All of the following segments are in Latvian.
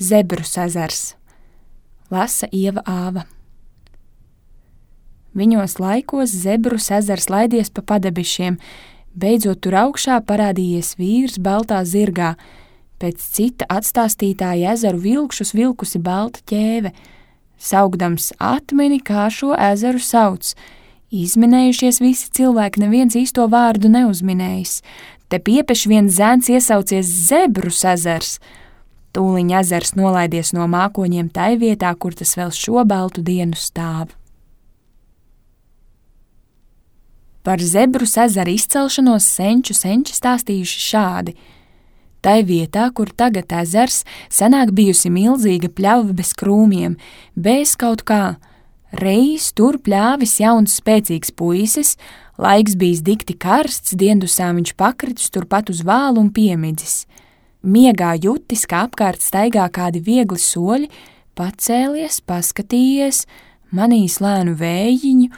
Zebrus ezers. Lasa Ieva Āva. Viņos laikos Zebrus ezers laidies pa padebišiem, beidzot tur augšā parādījies vīrs baltā zirgā, pēc cita atstāstītāja ezeru vilkšus vilkusi balta ķēve, saukdams atmini, kā šo ezeru sauc. Izminējušies visi cilvēki, neviens īsto vārdu neuzminējis. Te piepeš viens zēns iesaucies Zebrus ezers. Tūliņ ezers nolaidies no mākoņiem tai vietā, kur tas vēl šo baltu dienu stāv. Par Zebrus ezeru izcelšanos senči stāstījuši šādi. Tai vietā, kur tagad ezers, senāk bijusi milzīga pļauva bez krūmiem, bez kaut kā. Reiz tur pļāvis jauns spēcīgs puisis, laiks bijis dikti karsts, diendusā viņš pakritis turpat uz vālu un piemidzis. Miegā jutis, ka apkārt staigā kādi viegli soļi, pacēlies, paskatījies, manījis lēnu vējiņu,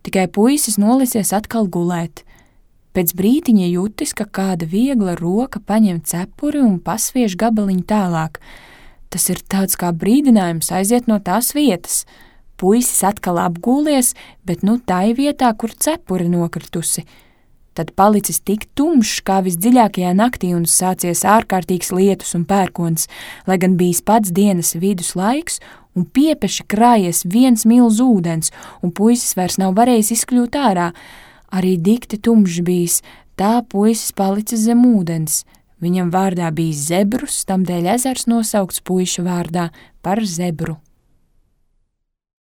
tikai puisis nolisies atkal gulēt. Pēc brītiņa jutis, ka kāda viegla roka paņem cepuri un pasviež gabaliņu tālāk. Tas ir tāds kā brīdinājums aiziet no tās vietas. Puisis atkal apgūlies, bet nu tai vietā, kur cepuri nokritusi. Tad palicis tik tumšs kā visdziļākajā naktī un sācies ārkārtīgs lietus un pērkons, lai gan bijis pats dienas vidus laiks un piepeši krājies viens milz ūdens, un puisis vairs nav varējis izkļūt ārā. Arī dikti tumšs bijis, tā puisis palicis zem ūdens. Viņam vārdā bija Zebrus, tamdēļ ezers nosaukts puiša vārdā par Zebru.